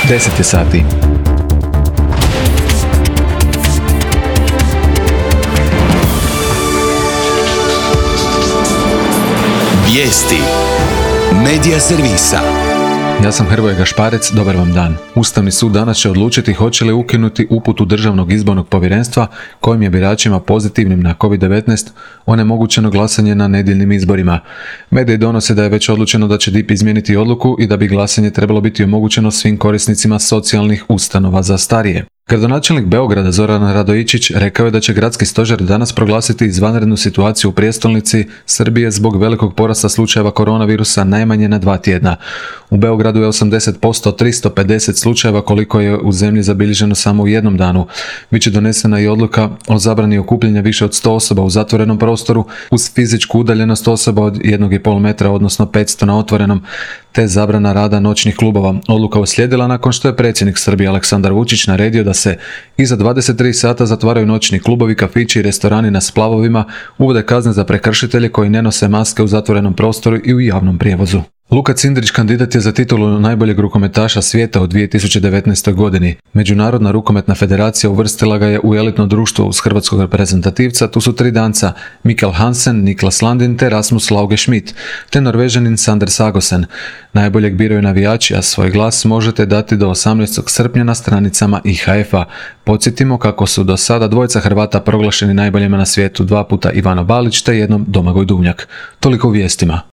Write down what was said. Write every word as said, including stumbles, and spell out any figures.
deset je sati. Vijesti Medija servisa. Ja sam Hrvoje Gašparec, dobar vam dan. Ustavni sud danas će odlučiti hoće li ukinuti uputu Državnog izbornog povjerenstva kojim je biračima pozitivnim na kovid devetnaest onemogućeno glasanje na nedjeljnim izborima. Mediji donose da je već odlučeno da će D I P izmijeniti odluku i da bi glasanje trebalo biti omogućeno svim korisnicima socijalnih ustanova za starije. Gradonačelnik Beograda Zoran Radojičić rekao je da će gradski stožer danas proglasiti izvanrednu situaciju u prijestolnici Srbije zbog velikog porasta slučajeva koronavirusa najmanje na dva tjedna. U Beogradu je osamdeset posto od tristo pedeset slučajeva koliko je u zemlji zabilježeno samo u jednom danu. Biće donesena i odluka o zabrani okupljanja više od sto osoba u zatvorenom prostoru uz fizičku udaljenost osoba od jednog i pol metra, odnosno petsto na otvorenom, te zabrana rada noćnih klubova. Odluka uslijedila nakon što je predsjednik Srbije Aleksandar Vučić naredio da se iza dvadeset tri sata zatvaraju noćni klubovi, kafići i restorani na splavovima, uvode kazne za prekršitelje koji ne nose maske u zatvorenom prostoru i u javnom prijevozu. Luka Cindrić kandidat je za titulu najboljeg rukometaša svijeta u dvije tisuće devetnaestoj godini. Međunarodna rukometna federacija uvrstila ga je u elitno društvo uz hrvatskog reprezentativca. Tu su tri danca, Mikkel Hansen, Niklas Landin te Rasmus Lauge Schmidt, te Norvežanin Sander Sagosen. Najboljeg biraju navijači, a svoj glas možete dati do osamnaestog srpnja na stranicama I H F-a. Podsjetimo kako su do sada dvojica Hrvata proglašeni najboljima na svijetu, dva puta Ivano Balić te jednom Domagoj Duvnjak. Toliko u vijestima.